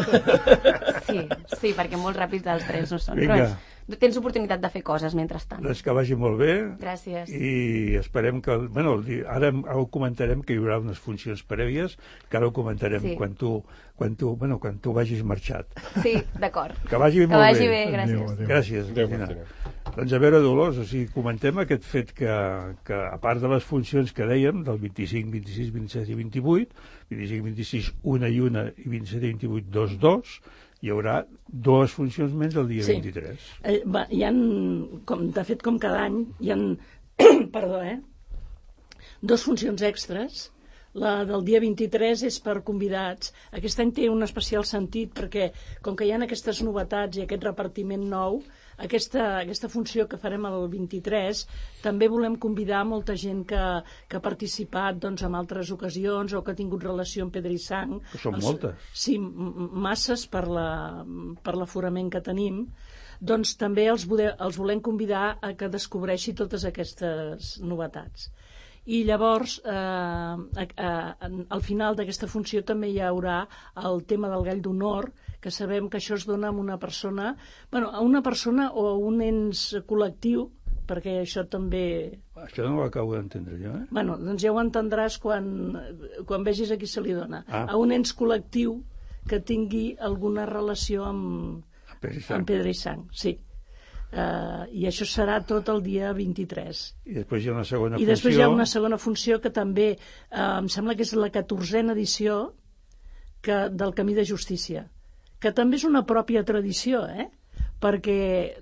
Sí, sí, perquè molt ràpids els trens no són. Vinga. Però tens oportunitat de fer coses mentrestant. Doncs que vagi molt bé. Gràcies. I esperem que... Bueno, ara ho comentarem, que hi haurà unes funcions prèvies, que ara ho comentarem sí. quan tu quan tu, bueno, quan tu vagis marxat. Sí, d'acord. Que vagi que molt vagi bé. bé, gràcies. Adéu, adéu. Gràcies. Adéu, doncs a veure, Dolors, o sigui, comentem aquest fet que, que a part de les funcions que dèiem, del vint-i-cinc, vint-i-sis, vint-i-set i vint-i-vuit, vint-i-cinc, vint-i-sis, una i una, i vint-i-set i vint-i-vuit, dos, dos, hi haurà dues funcions menys el dia sí. vint-i-tres. Eh, va, hi ha, com, de fet, com cada any, hi ha perdó, eh? Dos funcions extres. La del dia vint-i-tres és per convidats. Aquest any té un especial sentit perquè, com que hi ha aquestes novetats i aquest repartiment nou, aquesta, aquesta funció que farem el vint-i-tres, també volem convidar molta gent que, que ha participat doncs, en altres ocasions o que ha tingut relació amb Pedra i Sang. Que són els, moltes. Sí, masses per, la, per l'aforament que tenim. Doncs també els, vode, els volem convidar a que descobreixi totes aquestes novetats. I llavors, eh, eh, al final d'aquesta funció també hi haurà el tema del gall d'honor, que sabem que això es dona a una persona, bueno, a una persona o a un ens col·lectiu, perquè això també... Això no ho acabo d'entendre jo, eh? Bueno, doncs ja ho entendràs quan, quan vegis a qui se li dona. Ah. A un ens col·lectiu que tingui alguna relació amb, amb Pedra i Sang, sí. Uh, I això serà tot el dia vint-i-tres. I després hi ha una segona I funció... I després hi ha una segona funció que també, uh, em sembla que és la catorzena edició que, del Camí de Justícia, que també és una pròpia tradició, eh? Perquè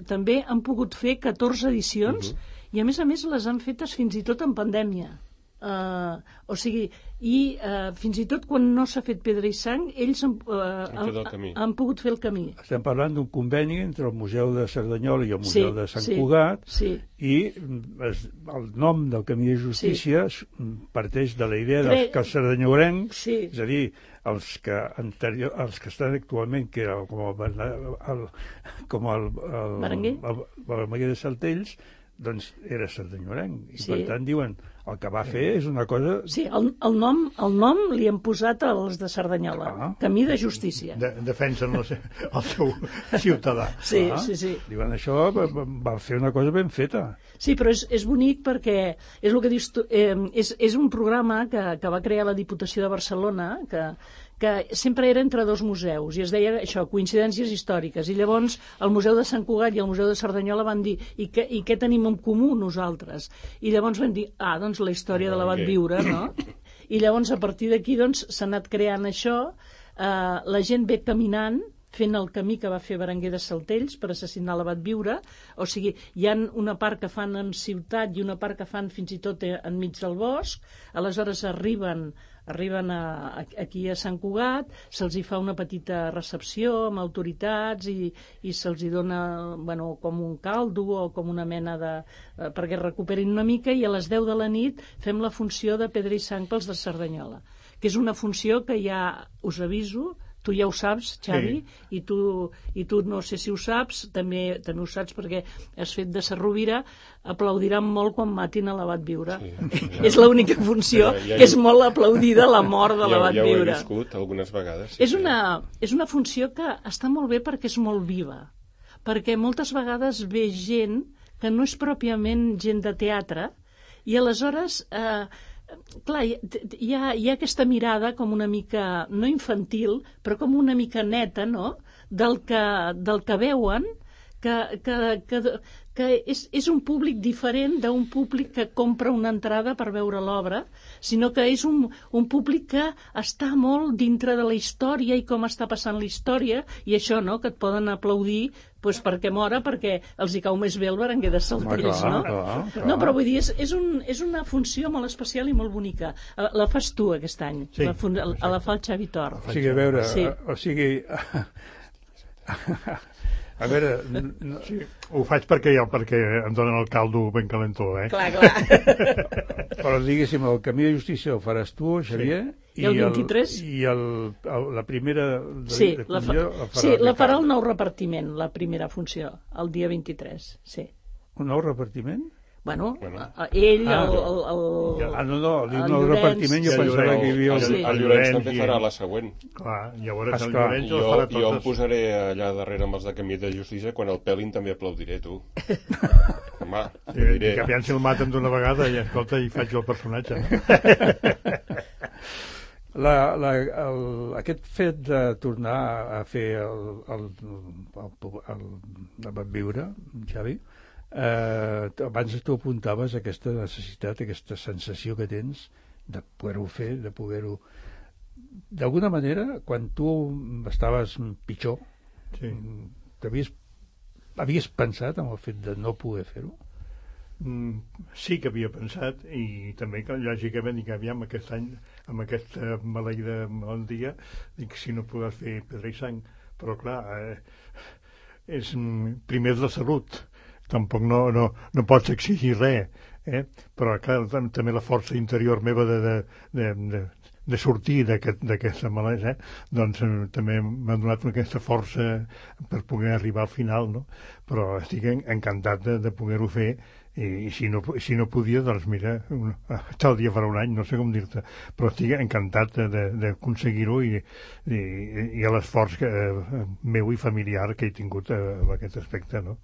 també han pogut fer catorze edicions uh-huh. i a més a més les han fetes fins i tot en pandèmia. Uh, o sigui, i uh, fins i tot quan no s'ha fet Pedra i Sang, ells han, uh, han, han pogut fer el camí. Estem parlant d'un conveni entre el Museu de Cerdanyola i el Museu sí, de Sant sí, Cugat sí. i es, el nom del Camí de Justícia sí. parteix de la idea dels que els cerdanyourencs, sí. és a dir, els que, anterior, els que estan actualment, que era com el, el, com el, el, Berenguer? el, el Berenguer de Saltells, doncs era cerdanyourenc. I sí. per tant diuen, el que va fer és una cosa... Sí, el, el, nom, el nom li han posat als de Cerdanyola, ah. Camí de Justícia. De, defensen el, el seu ciutadà. Sí, ah. sí, sí. Diuen, això va, va fer una cosa ben feta. Sí, però és, és bonic perquè és el que dius tu, eh, és, és un programa que, que va crear la Diputació de Barcelona, que, que sempre era entre dos museus, i es deia això, coincidències històriques, i llavors el Museu de Sant Cugat i el Museu de Cerdanyola van dir, i, que, i què tenim en comú nosaltres? I llavors van dir, ah, doncs la història de l'abat Viure, no? I llavors a partir d'aquí doncs s'ha anat creant això, eh, la gent ve caminant, fent el camí que va fer Berenguer de Saltells per assassinar l'abat Viure, o sigui, hi ha una part que fan en ciutat i una part que fan fins i tot enmig del bosc, aleshores arriben arriben a, a, aquí a Sant Cugat, se'ls hi fa una petita recepció amb autoritats i, i se'ls hi dona bueno, com un caldo o com una mena de... Eh, perquè recuperin una mica, i a les deu de la nit fem la funció de Pedra i Sang pels de Cerdanyola, que és una funció que ja us aviso, tu ja ho saps, Xavi, sí. i, tu, i tu no sé si ho saps, també, també ho saps perquè has fet de Sarrovira, aplaudiran molt quan matin a l'abat Viure. Sí, sí, ja. És l'única funció ja, ja, que és molt aplaudida, la mort de l'abat ja, ja Viure. Ja ho he viscut algunes vegades. Sí, és, una, és una funció que està molt bé perquè és molt viva, perquè moltes vegades ve gent que no és pròpiament gent de teatre, i aleshores... Eh, clar, hi ha, hi ha aquesta mirada com una mica, no infantil, però com una mica neta, no?, del que, del que veuen, que, que, que, que és, és un públic diferent d'un públic que compra una entrada per veure l'obra, sinó que és un, un públic que està molt dintre de la història i com està passant la història, i això, no?, que et poden aplaudir pues perquè mora, perquè els hi cau més bé el Berenguer de Saltells, no? Clar, clar. No, però vull dir, és, és, un, és una funció molt especial i molt bonica. La fas tu aquest any, sí, la, fun... la, la fa el Xavi Tor. O sigui, a veure, sí. o sigui... A veure... No... Sí, ho faig perquè, ja, perquè em donen el caldo ben calentó, eh? Clar, clar. Però diguéssim, el Camí de Justícia el faràs tu, Xavier? Sí. I el vint-i-tres? I el, el, la primera... De, sí, de la, fa, la farà, sí la farà el nou repartiment, la primera funció, el dia vint-i-tres, sí. Un nou repartiment? Bueno, bueno. ell, ah, el, el, el... Ah, no, no, dic nou repartiment, jo pensava que hi havia... El, el, el Llorenç també farà la següent. Clar, llavors el Llorenç jo, farà totes. Jo em posaré allà darrere amb els de Camí de Justícia, quan el pelin també aplaudiré, tu. Home, sí, diré. Que aviam si el maten d'una vegada i, escolta, i faig el personatge. La, la, el, aquest fet de tornar a fer el, el, el, el, el Van Viure, Xavi, eh, abans tu apuntaves aquesta necessitat, aquesta sensació que tens de poder-ho fer, de poder-ho... D'alguna manera, quan tu estaves pitjor, sí. t'havies havies pensat en el fet de no poder fer-ho? Mm, sí que havia pensat, i també que lògicament dic, aviam aquest any amb aquesta maleïda malaltia, dic, si no podràs fer Pedra i Sang, però clar, eh, és, primer és la salut, tampoc no, no, no pots exigir res, eh? Però clar, també la força interior meva de, de, de, de, de sortir d'aquesta aquest, malesa, eh? Doncs eh, també m'ha donat aquesta força per poder arribar al final, no? Però estic encantat de, de poder-ho fer. I, i si, no, si no podia, doncs mira, un, tal dia farà un any, no sé com dir-te, però estic encantat d'aconseguir-ho i, i, i a l'esforç eh, meu i familiar que he tingut eh, en aquest aspecte, no?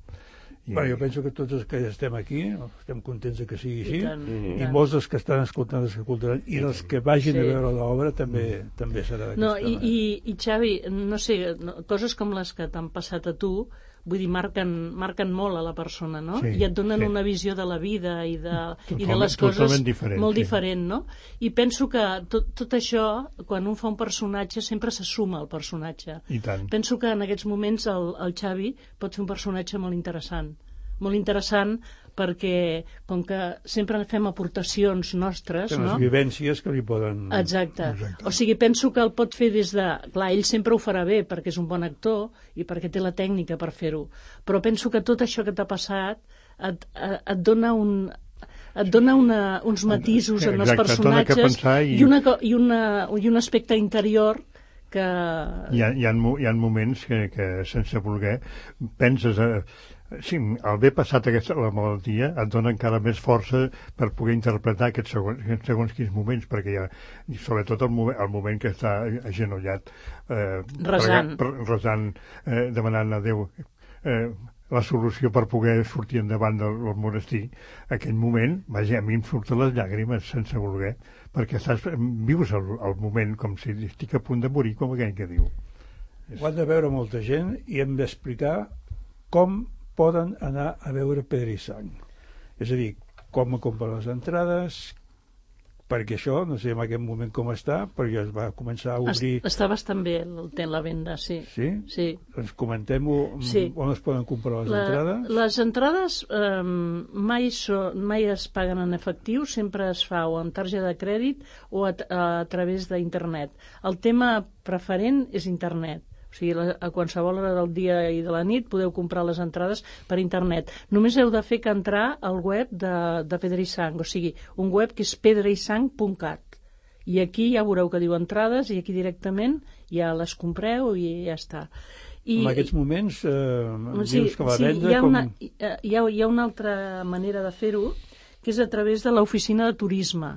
I... Bé, jo penso que tots els que estem aquí estem contents de que sigui així, I, tant, i, i molts dels que estan escoltant, els que escoltaran, i els que vagin sí. a veure l'obra també, mm. també serà d'aquesta no, i, manera. I, i Xavi, no sé, no, coses com les que t'han passat a tu, vull dir, marquen, marquen molt a la persona, no? Sí, I et donen sí. una visió de la vida i de, totalment, i de les coses diferent, molt sí. diferent, no? I penso que tot, tot això, quan un fa un personatge, sempre se suma al personatge. I tant. Penso que en aquests moments el, el Xavi pot fer un personatge molt interessant. Molt interessant perquè, com que sempre fem aportacions nostres, no? Les vivències que li poden... Exacte. Exacte. O sigui, penso que el pot fer des de... Clar, ell sempre ho farà bé perquè és un bon actor i perquè té la tècnica per fer-ho. Però penso que tot això que t'ha passat et, et dona un... et dona una, uns matisos en els personatges i... I, una, i, una, i un aspecte interior que... Hi ha, hi ha, hi ha moments que, que sense voler, penses... A... Sí, al haver passat aquesta, la malaltia et dona encara més força per poder interpretar aquests segons, aquests segons quins moments, perquè hi ha, i sobretot el moment, el moment que està agenollat eh, resant, per, resant eh, demanant a Déu eh, la solució per poder sortir endavant del, del monestir, aquell moment, vaja, a mi em surten les llàgrimes sense voler, perquè estàs, vius el, el moment com si estic a punt de morir, com aquell que diu. Ho han de veure molta gent i hem d'explicar com poden anar a veure Pedra i Sang. És a dir, com comprar les entrades, perquè això, no sé en aquest moment com està, perquè es va començar a obrir... Està bastant bé el té la venda, sí. Sí? Sí. Doncs comentem-ho, sí. On es poden comprar les la, entrades? Les entrades eh, mai, so, mai es paguen en efectiu, sempre es fa o amb targeta de crèdit o a, a través d'internet. El tema preferent és internet. O sigui, a qualsevol hora del dia i de la nit podeu comprar les entrades per internet. Només heu de fer que entrar al web de, de Pedra i Sang, o sigui, un web que és pedra i sang punt cat. I aquí ja veureu que diu entrades i aquí directament ja les compreu i ja està. I, en aquests moments eh, sí, dius que la sí, venda... Hi ha, com... una, hi, ha, hi ha una altra manera de fer-ho, que és a través de l'oficina de turisme,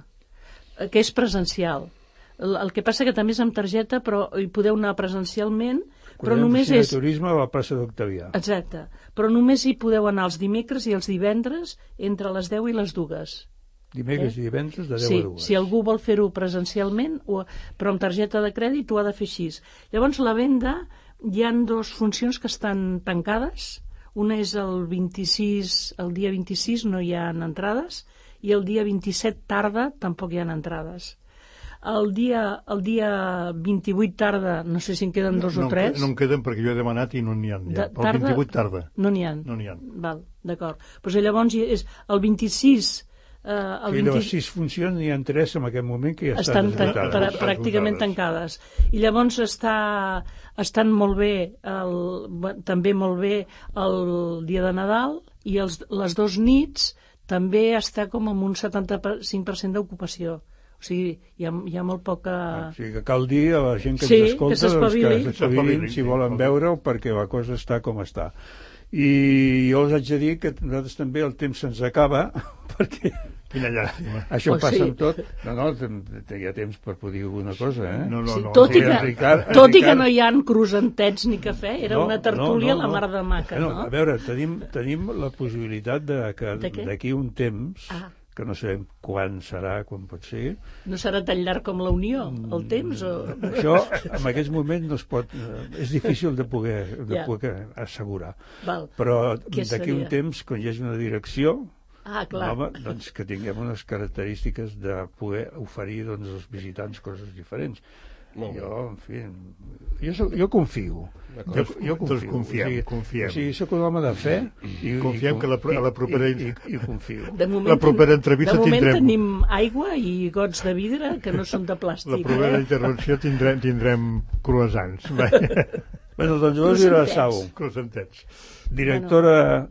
que és presencial. El que passa que també és amb targeta, però hi podeu anar presencialment, però només és... de turisme a la plaça d'Octavià. Exacte. Però només hi podeu anar els dimecres i els divendres entre les deu i les dues. Dimecres eh? i divendres de deu sí, a dues. Si algú vol fer-ho presencialment, o, però amb targeta de crèdit ho ha de fer així. Llavors, la venda, hi han dues funcions que estan tancades. Una és el vint-i-sis, el dia vint-i-sis no hi ha entrades, i el dia vint-i-set tarda tampoc hi ha entrades. El dia, el dia vint-i-vuit tarda, no sé si en queden dos no, o tres. No en queden perquè jo he demanat i no n'hi ha. Ja. El vint-i-vuit tarda. No n'hi ha. No n'hi ha. Val, d'acord. Pues llavors és el vint-i-sis... Eh, el sí, vint... de les sis funcions n'hi ha tres en aquest moment que ja estan, estan tan, pra, pràcticament tancades. I llavors està, estan molt bé, el, també molt bé el dia de Nadal i els, les dos nits també està com amb un setanta-cinc per cent d'ocupació. O sigui, hi ha, hi ha molt poca... Ah, o sigui que cal dir a la gent que sí, ens escolta que s'espavilin, doncs, que s'espavilin si volen veure-ho perquè la cosa està com està. I jo us haig de dir que nosaltres també el temps se'ns acaba perquè quina llàstima. Això oh, passa sí. amb tot. No, no, hi ha temps per poder dir alguna cosa, eh? No, no, sí, no, tot, no, i que, Ricard, tot Ricard... i que no hi ha cruzantets ni cafè, era no, una tertúlia no, no, la mar de maca, no? no? A veure, tenim, tenim la possibilitat de que d'aquí un temps... Ah. que no sabem quan serà, quan pot ser. No serà tan llarg com la Unió, el temps? O... Això, en aquests moments, no es pot... És difícil de poder, de ja. poder assegurar. Val. Però d'aquí un temps, quan hi hagi una direcció, ah, clar. home, doncs que tinguem unes característiques de poder oferir doncs, als visitants coses diferents. No. Jo, en fi, jo, soc, jo confio. Jo, jo confio. Doncs confiem, o sigui, confiem. O sigui, soc un home de fe i, confiem i, que la, a la propera... I, i, i confio. De moment, la propera entrevista de moment tindrem... tenim aigua i gots de vidre que no són de plàstic. La propera eh? intervenció tindrem, tindrem croissants. Bueno, doncs llavors era Sau. Cruzentets. Directora...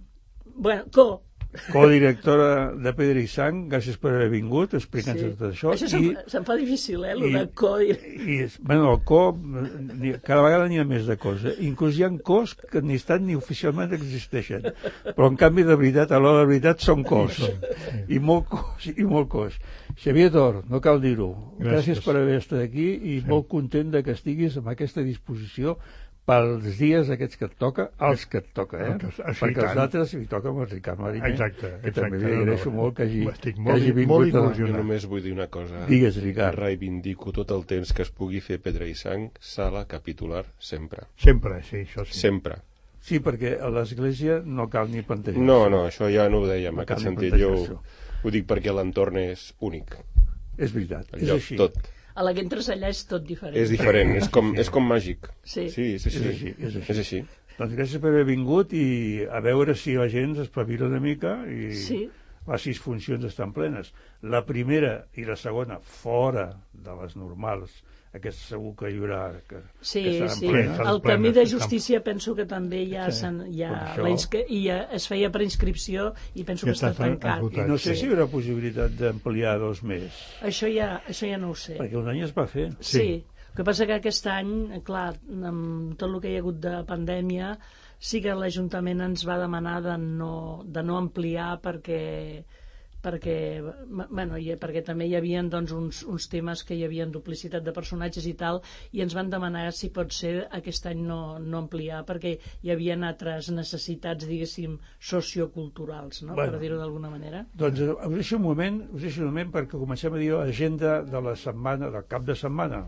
Bueno, co. Co-directora de Pedra i Sang, gràcies per haver vingut, explicant-nos sí. tot això. Això se'm, I, se'm fa difícil, eh, el i, de co. I, i, bueno, el co, cada vegada n'hi ha més de cos. Eh? Inclús hi ha cos que ni estan ni oficialment existeixen. Però, en canvi, de veritat, a l'hora de veritat, són cos. Sí, sí. I molt cos, i molt cos. Xavier Tor, no cal dir-ho. Gràcies. gràcies per haver estat aquí i sí. molt content de que estiguis amb aquesta disposició pels dies aquests que et toca, els que et toca, eh? Sí, perquè els altres hi toca amb el Ricard Mariner, exacte, que exacte, també li agraeixo no, no, molt que hagi, estic molt, que hagi vingut. Molt jo només vull dir una cosa. Digues, Ricard. Reivindico tot el temps que es pugui fer Pedra i Sang, sala capitular, sempre. Sempre, sí, això sí. Sempre. Sí, perquè a l'església no cal ni plantejar-se. No, no, això ja no ho deia, en aquest sentit. Jo ho dic perquè l'entorn és únic. És veritat, el és lloc, així. Tot. A la que entres allà és tot diferent. És diferent, és com, és com màgic. Sí. Sí, és així. És així, és així. És així. Doncs gràcies per haver vingut i a veure si la gent s'espavila una mica i sí. les sis funcions estan plenes. La primera i la segona fora de les normals. Aquesta segur que hi haurà... Que, sí, que sí. Plenes, el camí de justícia penso que també ja, sí. ja, la inscri... i ja es feia per inscripció i penso que, que està tancat. I no sé sí. si hi haurà possibilitat d'ampliar dos més. Això ja, això ja no ho sé. Perquè un any es va fer. Sí. sí. El que passa que aquest any, clar, amb tot el que hi ha hagut de pandèmia, sí que l'Ajuntament ens va demanar de no, de no ampliar perquè... perquè, bueno, i, perquè també hi havia doncs, uns, uns temes que hi havia duplicitat de personatges i tal, i ens van demanar si pot ser aquest any no, no ampliar, perquè hi havia altres necessitats, diguéssim, socioculturals, no? Bueno, per dir-ho d'alguna manera. Doncs us deixo un moment, us deixo un moment perquè comencem a dir l'agenda de la setmana, del cap de setmana.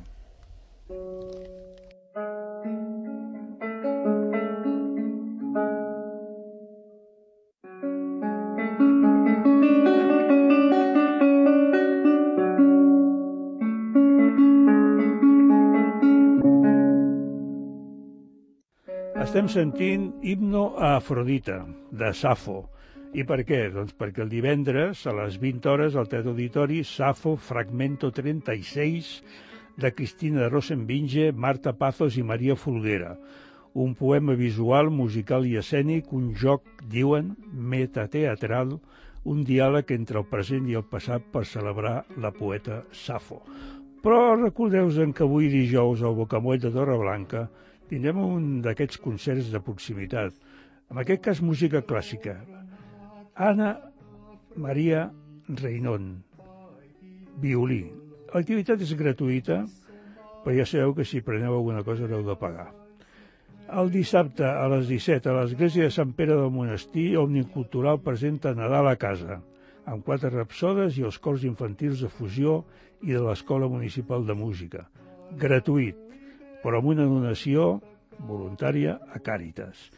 Estem sentint Himno a Afrodita, de Safo. I per què? Doncs perquè el divendres, a les vint hores, al Teatre Auditori, Safo, Fragmento trenta-sis, de Cristina Rosenvinge, Marta Pazos i Maria Folguera. Un poema visual, musical i escènic, un joc, diuen, metateatral, un diàleg entre el present i el passat per celebrar la poeta Safo. Però recordeu-vos que avui dijous al Bocamoll de Torreblanca tindrem un d'aquests concerts de proximitat, en aquest cas música clàssica. Anna Maria Reynon, violí. L'activitat és gratuïta, però ja sabeu que si preneu alguna cosa haureu de pagar. El dissabte a les disset a l'església de Sant Pere del Monestir, Òmnium Cultural presenta Nadal a casa, amb quatre rapsodes i els cors infantils de fusió i de l'Escola Municipal de Música. Gratuït, però amb una donació voluntària a Càritas.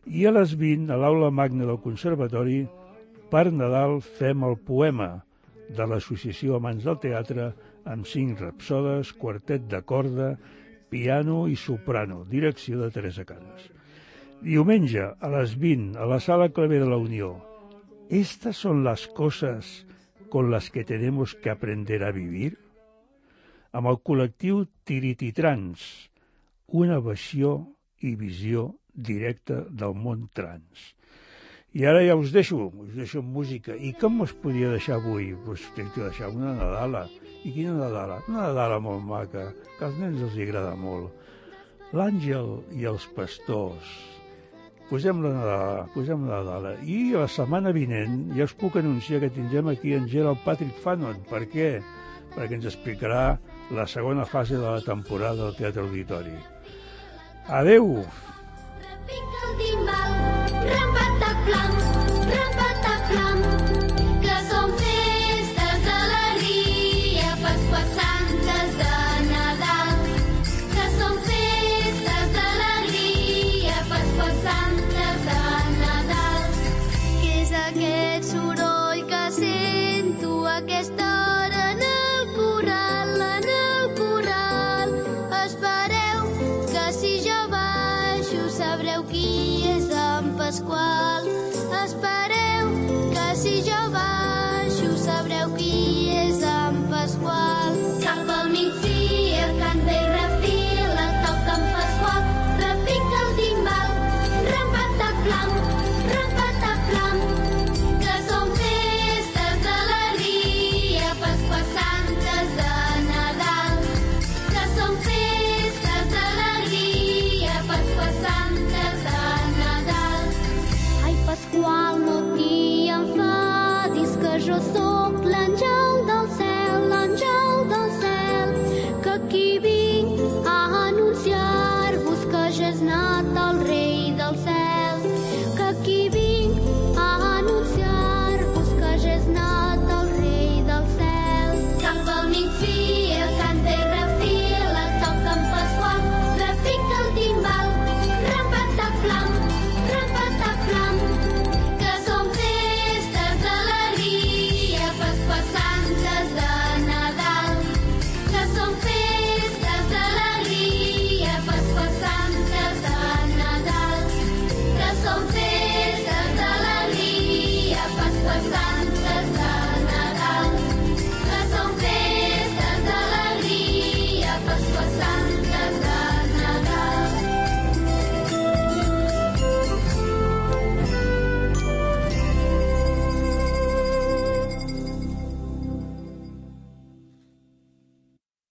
I a les vint, a l'aula magna del Conservatori, per Nadal fem el poema de l'Associació Amants del Teatre amb cinc rapsodes, quartet de corda, piano i soprano, direcció de Teresa Canes. Diumenge, a les vint, a la Sala Clavé de la Unió. Estas son las cosas con las que tenemos que aprender a vivir? Amb el col·lectiu Tirititrans, una versió i visió directa del món trans. I ara ja us deixo, us deixo amb música. I com us podia deixar avui? Doncs tinc que deixar una Nadala. I quina Nadala? Una Nadala molt maca, que als nens els agrada molt. L'Àngel i els pastors. Posem la Nadala, posem la Nadala. I la setmana vinent ja us puc anunciar que tindrem aquí en Gerald Patrick Fanon. Per què? Perquè ens explicarà la segona fase de la temporada del Teatre Auditori. Adeu! Repica el timbal, rampataplam, rampataplam, que són festes d'alegria, Pasqua Santes de Nadal, que són festes d'alegria, Pasqua Santes de Nadal. Què és aquest soroll que sento a aquesta hora en el corral, en el corral? Espereu que si jo baixo sabreu qui és en Pasqual.